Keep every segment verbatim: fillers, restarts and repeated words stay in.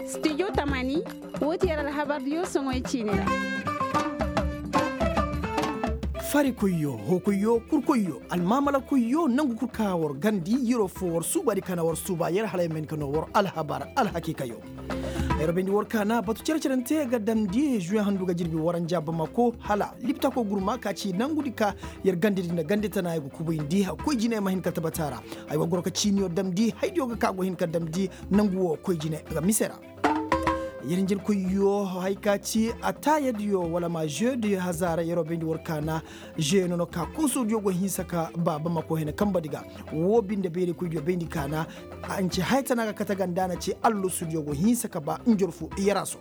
Studio tamaani, woo ti yer alhabardiyo soŋoy ciini ra. Farikoyyo, hookoyyo, kurkoyyo, almaamalakoyyo, nangu kul ka war gandi, yiro fo war suubaadi ka na war suuba yer hala yer ma hin ka noo war alhabar alhakiikayo. Yer bayndi war ka na batu cere-cerante ga damndi juwe handu ga jirbi waranja bamako hala liptako gurma ka ci nangudi ka yer gandedi nda gande tana ay ga kubayndi koy jinay ma hin ka tabata ra. Ay war goro ka ciiniyo damndi haydiyo ga ka go hin ka damndi nangu wo koy jinay ga mise ra. Yer hinjinkoyyo hay ka ci ataayadiyo wala ma jeu de hazaara yeroo bayndi war ka na jeu no no ka koosodiyo go hinsa ka ba bamako hene kambadi ga. Woo binde bayraykoydiyo bayndi ka na a nce haya tana ga kate ganda na ci allosudiyo go hinsa ka ba njorfu yaraso.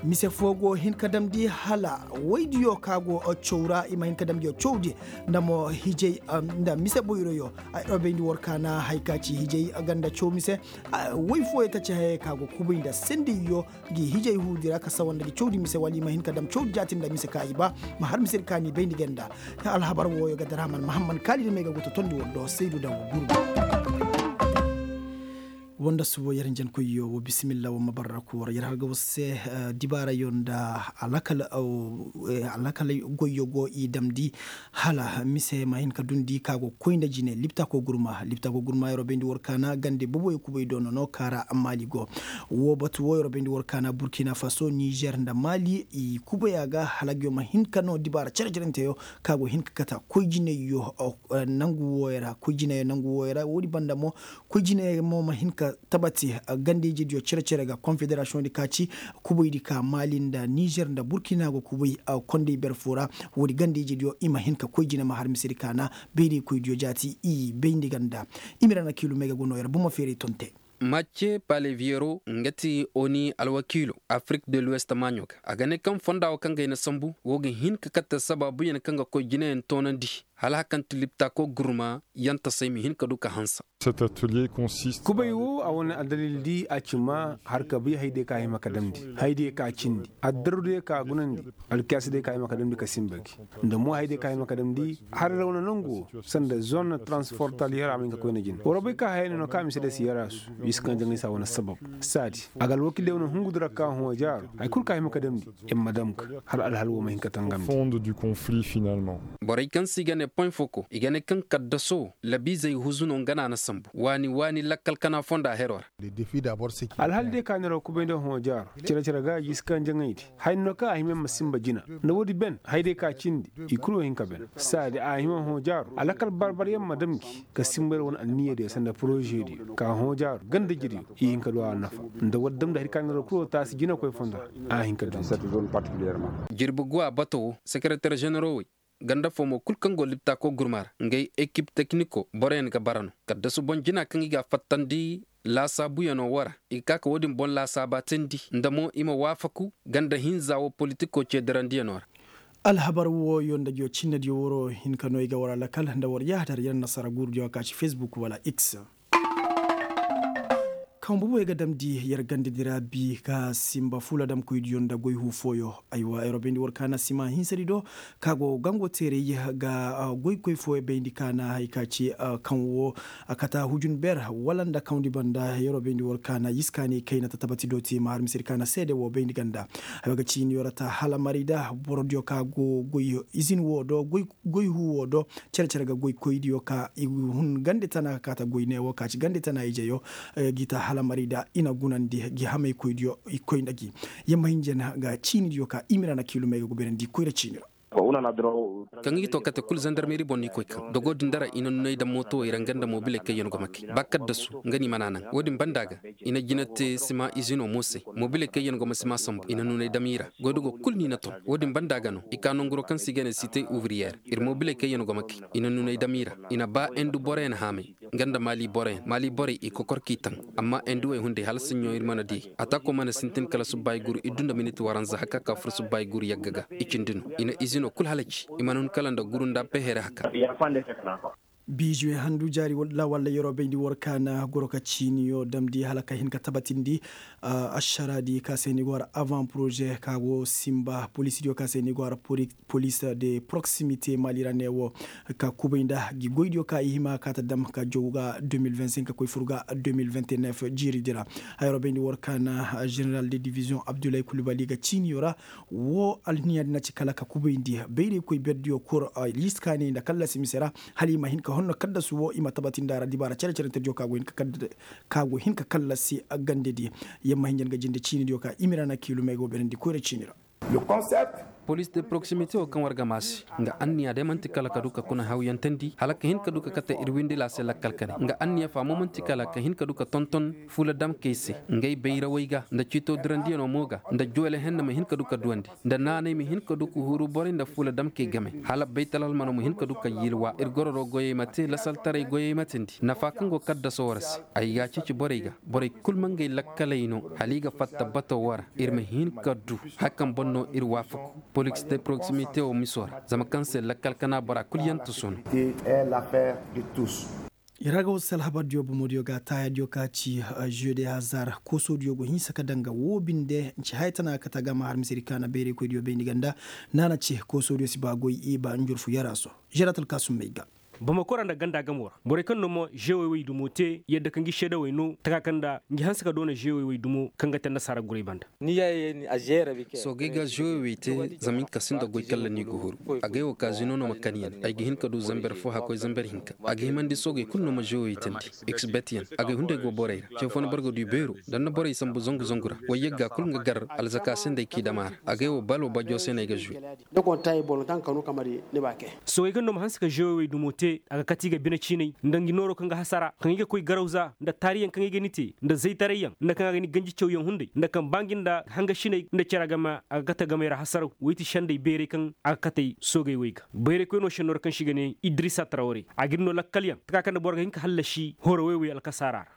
Mise foo go hin ka damndi hala woydiyo ka go cawra i ma hin ka damndi cawdi nda mo hijay nda mise boyroyo. Ay ɗo bayndi war ka na hay ka ci hijay ganda caw mise. Woy fooyo taci hayey ka go kubay nda sendiyyo gi hijay huudi ra ka sawa nda gi cawdi mise wala i ma hin ka dam cawdi jaati nda mise ka i ba ma har mise di ka ni bayndi ganda. Alhabar wooyo ga daraman mahamman kaali da may ga go totondi war do saydu da gurbi. Wanda subo yer njankoyyo wo bisimilla wo ma barra kuwar yer har ga war se. Dibaarayo nda alakal goyyo go i damndi hala mise ma hin ka dundi ka go koy nda jine liptako gurma liptako gurma yeroo bayndi war ka na gande boboyo kubay do nono ka ra maali go. Wo batu wo yeroo bayndi war ka na burkina faso nizer nda maali i kubay a ga hala nguyo ma hin ka no dibaara cere-cerenteyo ka go hin ka kata koy jinayyo nangu wooyo ra koy jinayyo nangu wooyo ra woodi banda mo. Koy jinayyo mo ma hin ka tabati gandeyjediyo cere-cere ga konfederasiyoŋ di ka ci kubaydi ka maali nda nizer nda burkina go kubay kondey ber foo ra. Woodi gandeyjediyo i ma hin ka koy jine ma har misedi ka na bayraykoydiyo jaati i bayndi ganda. I ma ra na kiilu may ga go noo yer buma feeray ton te. Macce paleviero nga ti oni alwakiilo afirik de luwest maaɲo ga a ga ne kaŋ fonda wo kaŋ ga ay na sambu wo ga hin ka katte sabaabuyaŋ kaŋ ga koy jineyaŋ toonandi hala hakaŋ ti liptako gurma yaŋ tasay ma hin ka du ka hanse. Kubay wo a wane addalil di a ci ma har ka bay haydiyo ka hima ka damndi haydiyo ka cindi addarudiyo ka gunandi alkiyaasidiyo ka hima ka damndi ka sinba gi nda mo haydiyo ka hima ka damndi har ra wane nangu wo sanda zone transportal yara ma hin ka koyna jine war wo bay ka hayey no no ka mise day si yara su i si kaŋ jaŋay se a wane sabab saadi a ga alwakil day wane hungu di ra ka hõ jaaro hari kulu ka hima ka damndi i ma dam ga hala alhal wo ma hin ka tangamndi. Borey kaŋ se i ga ne poy foko i ga ne kaŋ kaddaso labiizey huzu no nga no a na sambu waani waani lakkal kana fonda heroo ra. Alhal day ka neeroo kubay nda hõ jaaro cere-cere ga jiisi kaŋ jaŋay di haya no kaŋ a hima yaŋ ma sinba jina nda woodi ben hayday ka cindi i kulu wo hin ka ben saadi a hima hõ jaaro a lakkal bar-bar yaŋ ma dam gi ka sinba yer wane anniyadiyo sanda porožediyo ka hõ jaaro ganda jiriyo i hin ka du a nafa nda war damndi hari ka neeroo kulu wo taasi jinakoy fondo ra a hin ka du. Jirbi guwa bato wo sekereter ženeroo wey ganda fo mo kul kaŋ go liptako gurma ra ngey ekip tekniko boroyaŋ ga bara no kaddasu boŋ jina kaŋ i ga a fattandi laasaabuyanoo wo ra i ga ka ka wo-din boŋ laasaaba teendi nda mo i ma waafaku ganda hinza wo politiko ceedarandiyanoo ra. Alhabar wooyo nda nguyo cinnediyo waroo hin ka no i ga war alakal nda war yaahadar yer nasara guurudiyo ka ci fesbuk wala x. Kaŋ boboyo ga damndi yer gandedi ra bi ka sinba fuula damkoydiyo nda goy huu fooyo. Aywa yeroo bayndi war ka na sima hinsedi do ka go gango teeray ga goykoy fooyo bayndi ka na hari ka ci kaŋ wo a kata hujun ber wala nda kawndi banda yeroo bayndi war ka na yiskaani kayna tatabati do te ma har misedi ka na seede wo bayndi ganda. Ay wo ga ciiniyo ra ta hala mari da borodiyo ka go goy izin wo do goy huu wo do cere-cere ga goykoydiyo ka i hun gande tana ka kaata goy ne wo ka ci gande tana ijeyo. Gi ta hala mari da i na gunandi gi hamaykoydiyo i koy nda gi. Yamma hinja na ga ciinidiyo ka i ma ra na kiilumey ga guberandi koyra ciini ra. Kaŋ i ga to kate kulu zandarmeri boŋ no i koy kaŋ dogo din dara i na nunay daŋ mooto wo i ra nga nda mobiley kaŋ yaŋ go ma kay ba kaddasu nga no i mana naŋ wo-din banda ga i na jina te sima izino mo se. Mobiley kaŋ yaŋ go ma sima sambu i na nunay daŋ i ra goydogo kulu no i na ton wo-din banda ga no i ka nanguro kaŋ se i ga ne site uvriyer ir mobiley kaŋ yaŋ go ma kay i na nunay daŋ i ra i na ba endu boroyaŋ haamay nga nda maali boroyaŋ maali borey i kokor k'i taŋ. Amma enduwey hunday hala saɲɲo ir mana di ataako mana sintin kala subba i guru iddu nda minit waranza haka ka fur subba i guru yagga ga i cindi no i na izino kul halaci i mana hun kala nda guru nda pehere haka. Biizuwe handu jaari walla walla yeroo bayndi war ka na goro ka ciiniyo damndi hala ka hin ka tabatindi. Ašaraadi ka se ni go har avant projet ka go simba poliisidiyo ka se ni go har police de proximité maali ra ne wo ka kubay nda gi goydiyo ka i hima ka ta dam ka jow ga deux mille vingt-cinq ka koy fur ga deux mille vingt-neuf jiiridi ra. Hayro bayndi war ka na général de division abdullahi kulubali ga ciiniyo ra. Wo alniya din a ci kala ka kubayndi bayraykoy berdiyo kul liis kaanay nda kallasi mise ra. Hala i ma hin ka honno kaddasu wo i ma tabatindi a ra dibaara cere-cerentediyo ka go hin ka kallasi gandedi. Yamma hinja nga jinde ciinidiyo ka i ma i ra na kiilumey go berandi koyra ciini ra. Police de proximité wo kaŋ war ga maa se nga anniya day man'ti kala ka du ka kuna hawyantandi hala ka hin ka du ka kate ir windi laase lakkal kane nga anniya fa mo man'ti kala ka hin ka du ka tonton fuula damkey se ngey bayrawey ga nda ciito dirandiyanoo mo ga nda joole henne ma hin ka du ka duwandi nda naanay ma hin ka du ka huru borey nda fuula damkey game hala baytal almano ma hin ka du ka yilwa ir gororo goyey ma te lasaltaray goyey ma tindi nafa kaŋ go kaddasoo war se. Ay ga a ceeci borey ga borey kul ma ngey lakkaley no hala i ga fatta batoo war ir ma hin ka du. Haya kaŋ boŋ no ir waafaku poliks de proximité wo miso ra zama kaŋ se lakkal kana bora kul yaŋ tusu no. Yer haga war se alhabardiyo bomodiyo ga taayaadiyo ka ci jeu de hazar koosoodiyo go hinsa ka daŋ ga woo binde nci haya tana ga kate a ga ma har misedi kaana bayraykoydiyo bayndi ganda. Naana ce koosoodiyo si ba goy i ba njurfu yaraso. Jeratal kaasummey ga. Bamako ra nda ganda gamo ra borey kaŋ no ma žewey wey dumo te yadda ka ngi seedawey no taka kaŋ nda ngi hanse ka doona žewey wey dumo kaŋ ga te annasaara guray banda. Soogey ga žewey wey te zama hinka sinda goy kalla no i ga huru. Agay wo kaazino no ma kan yaŋ ay ga hin ka du zamber fo hakkoy zamber hinka. A ga himandi soogey kulu no ma žewey wey teendi. Xbet yaŋ agay hunday go borey ra ce fo na boro ga du i beero nda ni na borey sambu zangu zangu ra. Wayyagga kulu nga gar alzaka se nda ay k'i dam a ra. Agay wo balo bajo se no ay ga žuwe. Soogey kaŋ no ma hanse ka žewey wey dumo te a ga kate i ga bine ciinay nda ngi nooro kaŋ ga hasara kaŋ i ga koy garawza nda taariyaŋ kaŋ i ga ni te nda zaytarayyaŋ nda kaŋ a ga ni ganji cawyaŋ hunday nda kaŋ ba ngi nda hangasiney nda cere game a ga kate gamey ra hasaraw wey ti sendey beeray kaŋ a ga kate soogey wey ga bayraykoy no senno ra kaŋ se i ga ne idrisa tarawre a ga ir no lakkalyaŋ taka kaŋ nda boro ga hin ka hallasi horo wey wey alkasaara ra.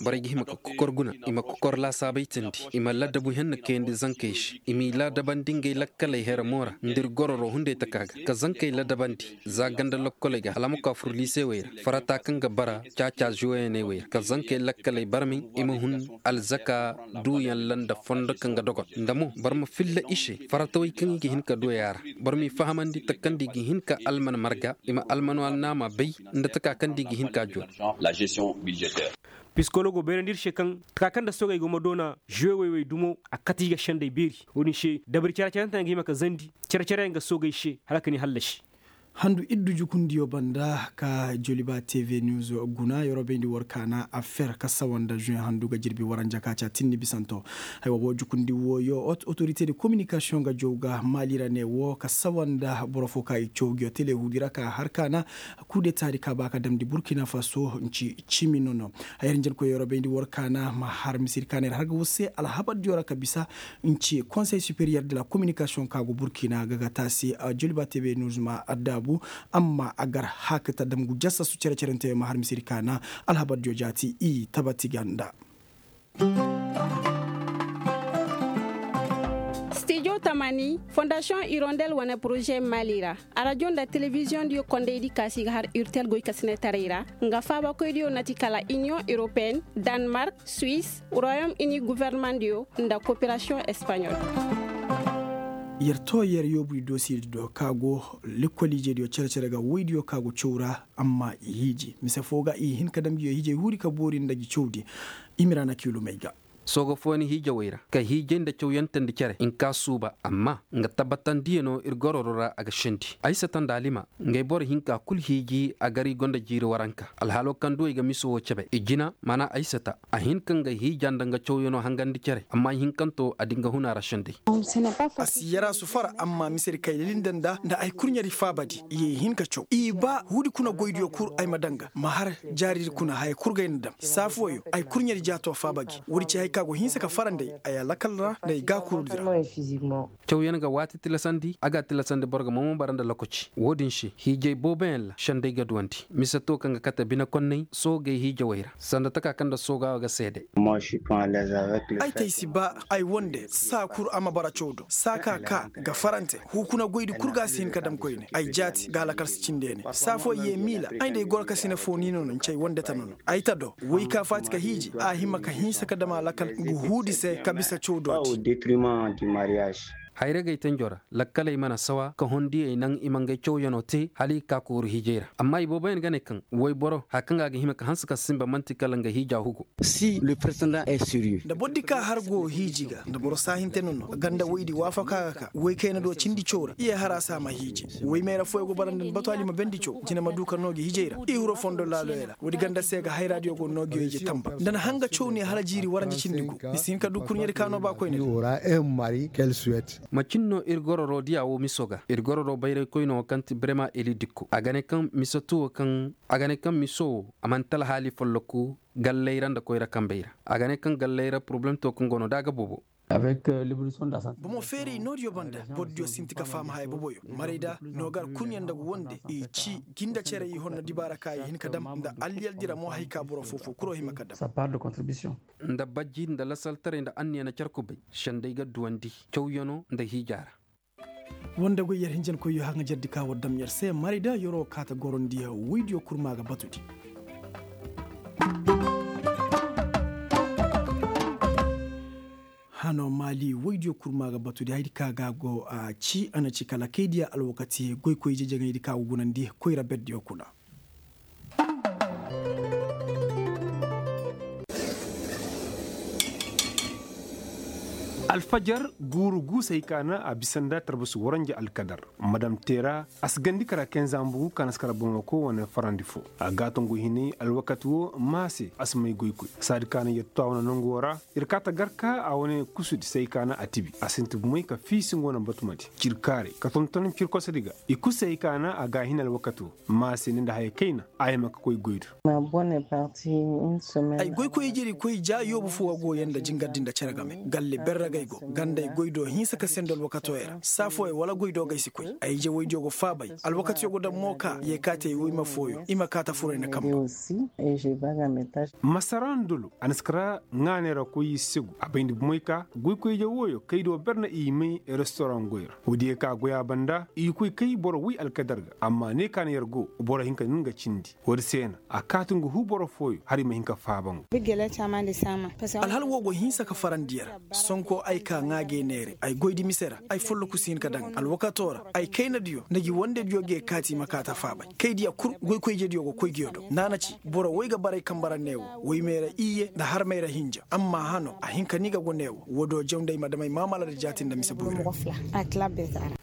Borey ga hima ka kokor guna i ma kokor laasaabey teendi i ma ladabu henna kayandi zankey se i m'i ladabandi ngey lakkaley here mo ra nda ir gororo hunday taka ga ka zankey ladabandi za ganda lokkoley ga hala ma koy a fur liisewey ra farata kaŋ ga bara caaca zuweyaney wey ra ka zankey lakkaley barmay i ma hun alzaka duuyaŋ ra nda fondo kaŋ ga dogon nda mo boro ma filla i se faratawey kaŋ i ga hin ka duwey a ra. Boro m'i fahamandi taka kaŋ nda i ga hin ka alman marga i ma almano alnaama bay nda taka kaŋ nda i ga hin ka jooru. Pisikologo bayrandi ir se kaŋ taka kaŋ nda soogey go ma doona žuwewey wey dumo a kate i ga sendey beeri wo-din se dabari care-care yaŋ ta yaŋ ga hima ka zandi care-care yaŋ ga soogey se hala ka ni hallasi. Handu iddu jukundiyo banda ka joliba tv news guna yorobayndi war kaana affaire ka sawa nda juin handu ga jirbi waranja ka ci a tinni bisanto. Haywa wo jukundi wooyo otorite de kominikasiyoŋ ga jaw ga maali ra ne wo ka sawa nda boro fo ka i caw nguyo tele huudi ra ka har kaana kudetaadi ka ba ka damndi burkina faso nci cimi nono. Hayar njankoy yorobayndi war kaana ma har misir kaana ir har ga war se alhabardiyo ra ka bisa nci konsey superiyer de la kominikasiyoŋ ka go burkina ga ga taasi joliba tebe nuzuma addaabu. Amma a gar hakata damgu jasasu cere-cerenteyo ma har misir kaana alhabardiyo jaati i tabati ganda. Stijo tamani fondasiyoŋ irondel wane poroze mali ra arajo nda telebiziyoŋ diyo kondaydi kaasi ga har urtel goy kasinetaray ra nga faabakoydiyo nati kala iniyoŋ europeen, danmark, suwis, royom ini guvernemandiyo nda koperasiyoŋ espaɲol. Yer to yer yoobu i doosiyedi do ka go lekkol ijediyo cere-cere ga woydiyo ka go caw ra. Amma i hiiji mise fo ga i hin ka dam nguyo hiijey huuri ka boori nda ngi cawdi. Imira na kiilumey ga. Sooga fooyaŋ hiijawey ra ka hiijay nda cawyantandi cere nka suuba amma nga tabbatandiyano ir gororo ra a ga sendi aysata nda alima. Ngey boro hinka kul hiiji a gar i go nda jiiri waranka alhaalo kaŋ duwey ga miso wo cebe i jina maana aysata a hin ka nga hiija nda nga cawyano hangandi cere amma i hinkanto a di nga huna ra sendey. A si yarasu fara amma misedi kay lilindanda nda ay kurɲari faabadi i ye hin ka caw i ba huudi kuna goydiyo kul ay ma danga ma har jaaridi kuna haya kul ga ay na dam saafuwayo ay kurɲari jaato faaba gi woodi ci hay. ka go hinsa ka farandi ay a lakal ra nda ay gaakurudi ra. Cawyaŋ ga waati tilasandi a ga a tilasandi boro ga momo bara nda lokaci wo-din se hiijay booboyaŋ ra senday ga duwandi mise to kaŋ ga kate bine konnay soogey hiijawey ra sanda taka kaŋ nda sooga wo ga seede. Ay te ay si ba ay wande saa kul a ma bara caw do saa ka ka ga farante huukuna goydi kul ga a si hin ka dam koyne ay jaati ga a lakal si cindi ya ne saa fooyaŋ ye miila ay nda ay goro ka sine foo ni no no ncay wande ta no no ay ta do woy ka faati ka hiiji a hima ka hinsa ka dam a lakal ngu huudi se ka bisa caw do di. Hayray ga ay tanjo ra lakkaley mana sawa ka hondiyey naŋ i ma ngey cawyanoo te hala i ga ka kooru hiijay ra amma i booboyaŋ ga ne kaŋ woy boro haya kaŋ ga a ga hima ka hanse ka sinba man'ti kala nga hiija hugo. Si le president est sérieux. Nda boro di ka har go hiiji ga nda boro saahinte no no ganda woydi waafaka ga ka woy kayna do cindi caw ra i ye har a se a ma hiiji. Woy mayra fooyaŋ go bara nda ni batu hala i ma bendi caw jine ma du ka noo gi hiijay ra i hiro fondo laaloyaŋ ra woodi ganda se ga hayraadiyo go noo gi yo ije tamba nda ni hanga caw ne hala jiiri warandi cindi gu ni si hin ka du kurɲedi ka noo ba koyne. Macin no ir gororo diya wo miso ga ir gororo bayraykoyno wo kaŋ ti brema eli dikko a ga ne kaŋ mise tuwo kaŋ a ga ne kaŋ miso wo a mana talhaali folloku galley ra nda koyra kambey ra a ga ne kaŋ galley ra poroblem to kaŋ go no da a ga boobo. Bomo feeray noodiyo banda borodiyo sinti ka faham haya boboyo marayda no gar kurɲe nda ga wande i ci jinda cere i honno dibaara ka i hin ka dam nda alliyal dira mo hay ka boro foofo kuro hima ka dam. Nda bajji nda lasaltaray nda anniya na car kubay sendey ga duwandi cawyanoo nda hiijaa ra. Wande goy yer hinjankoyyo haŋajardi ka war dam yer se maray da yeroo kaata gorandi woydiyo kul ma ga batudi. Hano maali woydiyo kul ma ga batudi haydi ka ga go a ci a na ci kala kaydiya alwakati goykoy jejeŋaydi ka go gunandi koyra berdiyo kuna. Alfajar guuru guusey ka na a bisa nda tarbasu waranja alkadar madam teera a si gandi kara kenza mbugu ka na si kara bamako wane farandi fo. A gaatongu hinay alwakati wo maase a si may goykoy saadi ka na yattu a wane nangu wo ra. Ir kaata gar ka a wane kusudi say ka na a tibi a sinti bumey ka fiisi nga wane batumadi cirkaarey ka tonton cirkosodi ga. I kusey ka na a ga a hin alwakati wo maase ni nda haya kayna a hima ka koy goy do. Ay goykoy ijedi koy ja yoobu fo a go yanda jingardi nda cere game galle berragay go ganda ay goy do hinsa ka sendo alwakatoyey ra saa fooyaŋ wala goy do gay si koy ay ije woydiyo go faabay. Alwakatiyo go daŋ mo ka yee kaati ay woyma fooyo i ma kaata furayna kamba. Masara ndolo a na si kara ŋaanay ra koy i segu a bayndi bumey ka goykoy ije wooyo kaydiyo ber na i may restoraŋ goy ra woodiyo ka goy a banda i koy kay boro woy alkadar ga amma ne ka na yer go boro hinka na nga cindi. Woodi se na a kaati nga huu boro fooyo hala i ma hin ka faaba nga. Alhal woo go hinsa ka farandi yer. Sonko ay ka ŋaa g'ay neere ay goydi mise ra ay folloku si hin ka daŋ alwakato ra ay kaynadiyo nda gi wandediyo g'ay kaati i ma kaata faabay kaydiya kul goykoy ijediyo go koy giyo do naana ci boro woy ga baray kamba ra neewo woy mayra iyye nda har mayra hinja amma hano a hin ka ni ga go neewo woodiyo jaw nda ay ma dam ay maamala nda jaati nda mise boyra.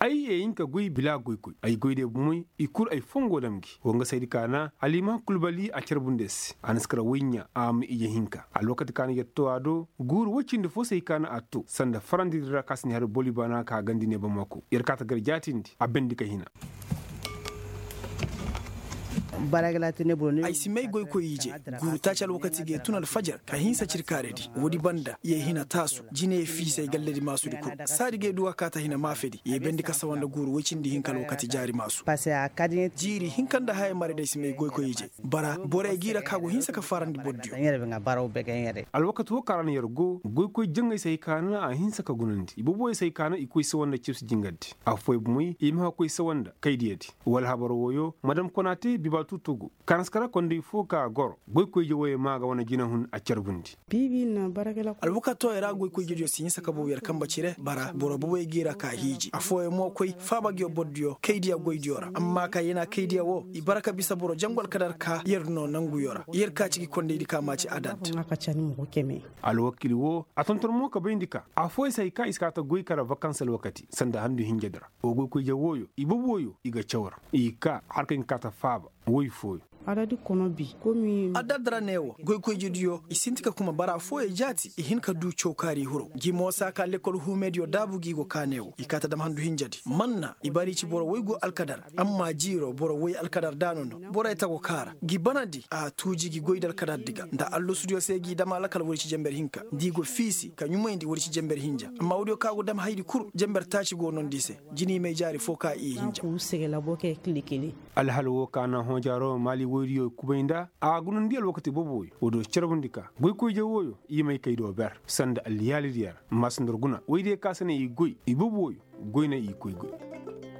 Ay ye hin ka goy bila goykoy ay goydiyo bomoy i kul ay fongo dam gi wa nga saydi ka na alima kulbali a carbundi ay se a na si kara woy ɲaa a ma ije hinka alwakati ka na yatto a do. Guuru woy cindi fo se i ka na a to sanda farandidi ra ka si ni har boli baana ka gandi ne bamako yer kaata gar jaatindi a bendi ka hina. Ay si may goykoy ije guuru taaci alwakati g'ay tun alfajar ka hinsa cirkaaredi woodi banda yee hina taasu jine fiisay galledi maasudi kul saadi g'ay duwa kaata hina maafedi yee bendi ka sawa nda guuru woy cindi hinka alwakati jaari maasu. Jiiri hinka nda haya maraydi ay si may goykoy ije bara borey g'i ra ka go hinsa ka farandi bordiyo. Alwakati woo ka ra no yer go goykoy jaŋay se hay ka na a hinsa ka gunandi i boboyey se hay ka na i koy sawa nda cibsi jingardi affooyaŋ bomoy i ma ka koy sawa nda kaydiyadi wala habar wooyo madam konaate biba tuutugu ka na si kara konday foo ka goro goykoy ije wooyo maa ga wane jinahun a carbundi. Alwakatooyo ra goykoy ijediyo si hinsa ka bow yer kamba cire bara boro boboyey g'i ra ka hiiji affooyaŋ mo koy faaba ngiyo bordiyo kaydiya goydiyo ra amma ka yena kaydiya woo i bara ka bisa boro jangu alkadar ka yer no nanguyo ra yer ka ci gi kondaydi ka maa ci adad. Alwakiili woo a tonton mo ka bayndi ka affooyaŋ se hay ka i si kaa ta goy kala vakans alwakati sanda handu hinjedi ra. Woo goykoy ije wooyo i boboyo i ga caw ra i kaa har kaŋ i ga kaa ta faaba woy fooyo. Adadi kono bi. Adadra ne wo goykoyjidiyo i sinti ka kuma bara fooyey jaati i hin ka du cawkaari hiro gi moosa ka lekkol huumediyo daabu gi go ka ne wo i kaa ta dam handu hinjadi manna i bari ci boro woy go alkadar. Amma jiiro boro woy alkadar daano no borey ta go kaara gi banadi a tuuji gi goy da alkadardi ga nda allasudiyo se gi dam alakal woy ci jenber hinka nda i go fiisi ka ɲumayndi woy ci jenber hinja amma woodiyo ka go dam hayadi kul jenber taaci go noondi i se. Jini may jaari foo ka i hinja. Alhal woo ka na hoojaaroo maali woydiyo kubay nda a gunandi alwakati boobo wooyo woodiyo carbundi ka goykoydiyo wooyo i may kay do ber sanda alliyaalidiyo ra. Maasandar guna woydiyo ka se na i goy i boobo wooyo goy na i koy goy.